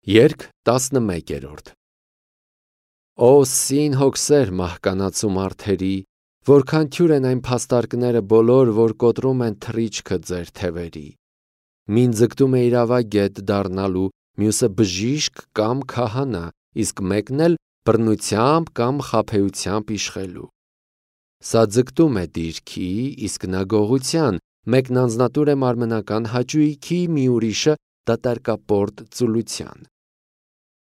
Երգ 11-րդ Օ սին հոգսեր մահկանացու մարդերի, որքան թյուր են այն փաստարկները բոլոր, որ կոտրում են թռիչքը ձեր թևերի։ Մին ձգտում է իրավա գետ դառնալու, մյուսը բժիշկ կամ քահանա, իսկ մեկն էլ բռնությամբ կամ խաբեությամբ իշխելու։ Սա ձգտում է դիրքի, իսկ նա գողության, մեկն անձնատուր է մարմնական հաճույքի, մի ուրիշը դատարկապորտ ծուլության։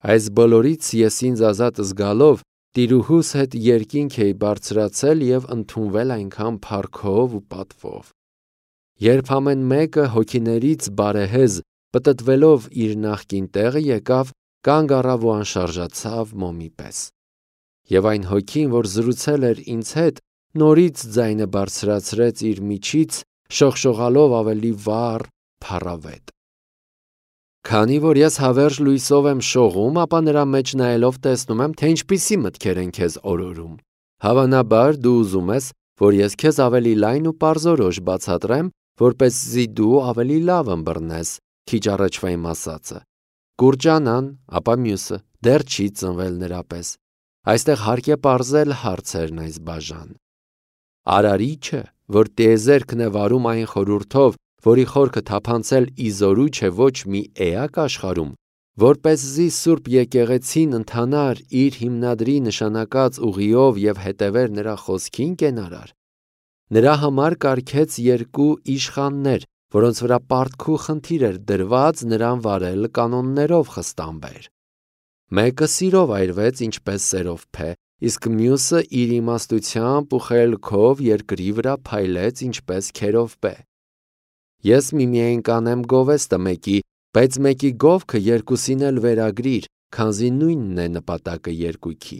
Այս բոլորից ես ինձ ազատ զգալով տիրուհուս հետ երկինք էի բարձրացել և ընդունվել այնքան փառքով ու պատվով։ Երբ ամեն մեկը հոգիներից բարեհեզ պտտվելով իր նախկին տեղը եկավ, կանգ առավ ու անշարժացավ մոմի պես։ Եվ այն հոգին, որ զրուցել էր ինձ հետ, նորից ձայնը բարձրացրեց իր միջից, շողշողալով ավելի վառ, փառավետ։ Քանի որ ես հավերժ լույսով եմ շողում, ապա նրա մեջ նայելով տեսնում եմ, թե ինչպիսի մտքեր են քեզ օրորում։ Հավանաբար դու ուզում ես, որ ես քեզ ավելի լայն ու պարզորոշ բացատրեմ, որպեսզի դու ավելի լավ ըմբռնես քիչ առաջվա իմ ասածը։ Կուրճանան, ապա մյուսը դեռ չի ծնվել նրա պես։ Այստեղ հարկ է պարզել հարցերն այս բաժան։ Արարիչը, որ տիեզերքն է վարում այն խորհուրդով, որի խորքը թափանցել իզորու չէ ոչ մի էակ աշխարհում, որպեսզի Սուրբ եկեղեցին ընթանար իր հիմնադրի նշանակած ուղիով և հետևեր նրա խոսքին կենարար, նրա համար կարգեց երկու իշխաններ, որոնց վրա պարտքու խնդիր էր դրված նրան վարել կանոններով խստամբեր։ Մեկը սիրով այրվեց ինչպես սերովփե, իսկ մյուսը իր իմաստությամբ ու խելքով երկրի վրա փայլեց ինչպես քերովբե։ Ես միմիայն կանեմ գովեստը մեկի, բայց մեկի գովքը երկուսին էլ վերագրիր, քանզի նույնն է նպատակը երկույքի։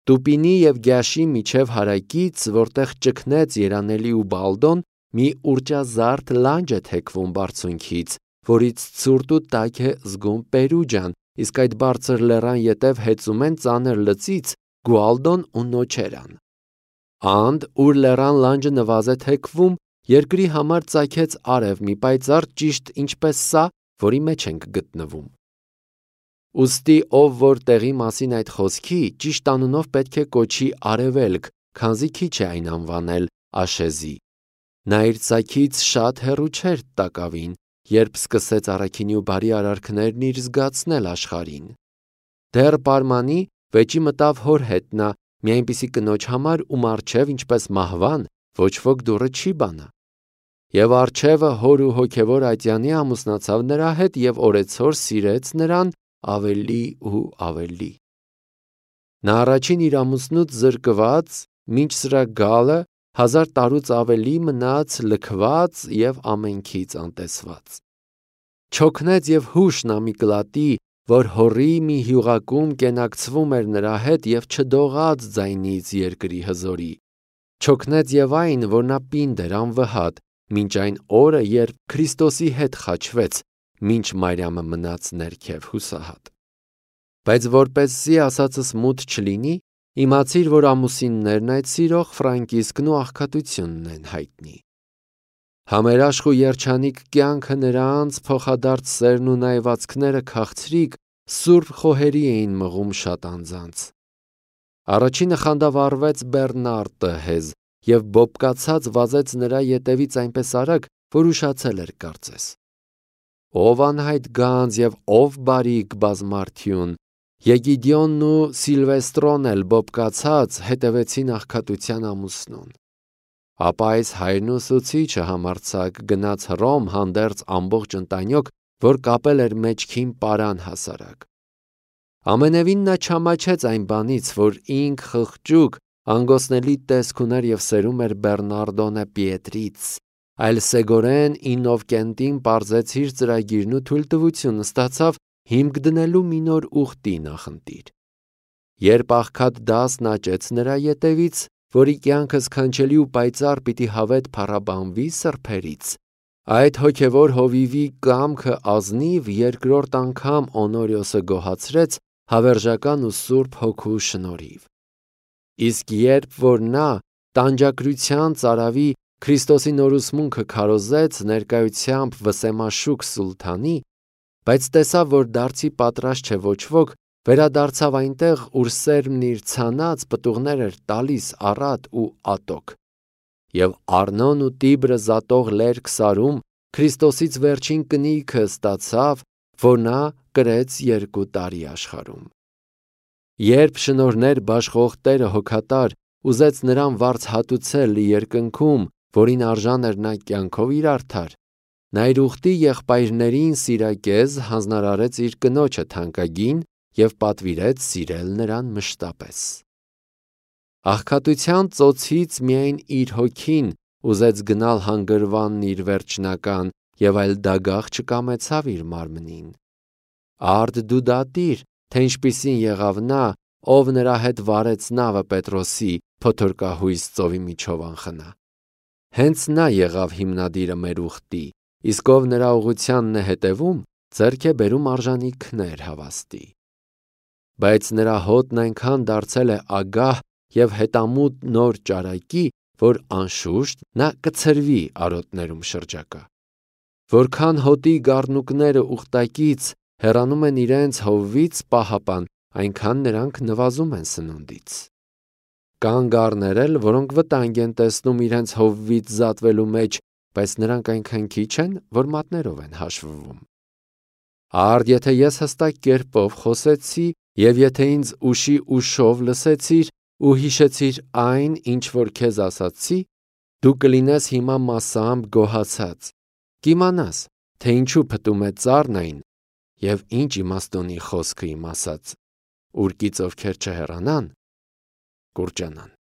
Տուպինի և գյաշի միջև հարակից, որտեղ ճգնեց երանելի ու բալդոն, մի ուռճազարդ լանջ է թեքվում բարձունքից, որից ցուրտ ու տաք է զգում Պերուջան, իսկ այդ բարձր լեռան ետև հեծում են ծանր լծից Գուալդոն ու Նոչերան։ Անդ, ուր լեռան լանջը նվազ է թեքվում, երկրի համար ծագեց արև մի պայծառ ճիշտ ինչպես սա, որի մեջ ենք գտնվում։ Ուստի ով որ տեղի մասին այդ խոսքի, ճիշտ անունով պետք է կոչի արևելք, քանզի քիչ է այն անվանել Աշեզի։ Նա իր ծագից շատ հեռու չէր տակավին, երբ սկսեց առաքինի ու բարի արարքներն իր զգացնել աշխարհին։ Դեռ պարմանի վեճի մտավ հոր հետ նա, մի այնպիսի կնոջ համար, ում առջև ինչպես մահվան, ոչ ոք դուռը չի բանա։ Եվ առջևը հոր ու հոգևոր ատյանի ամուսնացավ նրա հետ և օրեցօր սիրեց նրան ավելի ու ավելի։ Նա առաջին իր ամուսնուց զրկված, մինչ սրա գալը 1000 տարուց ավելի մնաց լքված և ամենքից անտեսված։ Չօգնեց և հուշն Ամիկլատի, որ հորի մի հյուղակում կենակցվում էր նրա հետ և չդողաց ձայնից երկրի հզորի։ Չօգնեց և այն, որ նա պինդ էր անվհատ, մինչ այն օրը, երբ Քրիստոսի հետ խաչվեց, մինչ Մարիամը մնաց ներքև հուսահատ։ Բայց որպեսզի ասածս մութ չլինի, իմացիր, որ ամուսիններն այդ սիրող Ֆրանկիսկն ու աղքատությունն են հայտնի։ Համերաշխ ու երջանիկ կյանքը նրանց, փոխադարձ սերն ու նայվածքները քաղցրիկ, սուրբ խոհերի էին մղում շատ անձանց։ Առաջինը խանդավառվեց Բեռնարտը հեզ և բոբկացած վազեց նրա ետևից այնպես արագ, որ ուշացել էր կարծես։ Ով անհայտ գանձ և ով բարիք բազմարդյուն, Եգիդիոնն ու Սիլվեստրոն էլ բոբկացած հետևեցին աղքատության ամուսնուն։ Ապա այս հայրն ու ուսուցիչը համարձակ գնաց Հռոմ հանդերձ ամբողջ ընտանյոք, որ կապել էր մեջքին պարան հասարակ։ Ամենևին նա չամաչեց այն բանից, որ ինք խղճուկ, անգոսնելի տեսք ուներ և սերում էր Բեռնարդոնե Պիետրից, այլ սեգորեն Իննովկենտին պարզեց իր ծրագիրն ու թույլտվություն ստացավ հիմք դնելու մի նոր ուխտի նախընտիր։ Երբ աղքատ դասն աճեց նրա ետևից, որի կյանքը սքանչելի ու պայծառ պիտի հավետ փառաբանվի սրբերից, այդ հոգևոր հովիվի կամքը ազնիվ երկրորդ անգամ Օնորիոսը գոհացրեց հավերժական ու սուրբ հոգու շնորհիվ։ Իսկ երբ որ նա տանջակրության ծարավի Քրիստոսի նորուսմունքը քարոզեց ներկայությամբ Վսեմաշուք Սուլթանի, Բայց տեսավ, որ դարձի պատրաստ չէ ոչ ոք, վերադարձավ այնտեղ, ուր սերմն իր ցանած պտուղներ էր տալիս առատ ու ատոք։ Եվ Արնոն ու Տիբրը զատող լերկ սարում Քրիստոսից վերջին կնիքը ստացավ, որ նա կրեց 2 տարի աշխարհում։ Երբ շնորհներ բաշխող Տերը հոգատար ուզեց նրան վարձ հատուցել երկնքում, որին արժան էր նա կյանքով իր արդար, նա իր ուխտի եղբայրներին սիրակեզ հանձնարարեց իր կնոջը թանկագին և պատվիրեց սիրել նրան մշտապես։ Աղքատության ծոցից միայն իր հոգին ուզեց գնալ հանգրվանն իր վերջնական և այլ դագաղ չկամեցավ իր մարմնին։ Արդ դու դատիր, թե ինչպիսին եղավ նա, ով նրա հետ վարեց նավը Պետրոսի փոթորկահույս ծովի միջով անխնա։ Հենց նա եղավ հիմնադիրը մեր ուխտի, իսկ ով նրա ուղղությանն է հետևում, ձեռք է բերում արժանի քներ հավաստի։ Բայց նրա հոտն այնքան դարձել է ագահ և հետամուտ նոր ճարակի, որ անշուշտ նա կցրվի արոտներում շրջակա։ Որքան հոտի գառնուկները ուխտակից հեռանում են իրենց հովվից պահապան, այնքան նրանք նվազում են սնունդից։ Կան գառներ էլ, որոնք վտանգ են տեսնում իրենց հովվից զատվելու մեջ, բայց նրանք այնքան քիչ են, որ մատներով են հաշվվում։ Արդ եթե ես հստակ կերպով խոսեցի, և եթե ինձ ուշի ուշով լսեցիր ու հիշեցիր այն, ինչ որ քեզ ասացի, դու կլինես հիմա մասամբ գոհացած, կիմանաս, թե ինչու փտում է ծառն այն և ինչ իմաստունի խոսքը իմ ասած, ուրկից ովքեր չհեռանան, կուրջանան։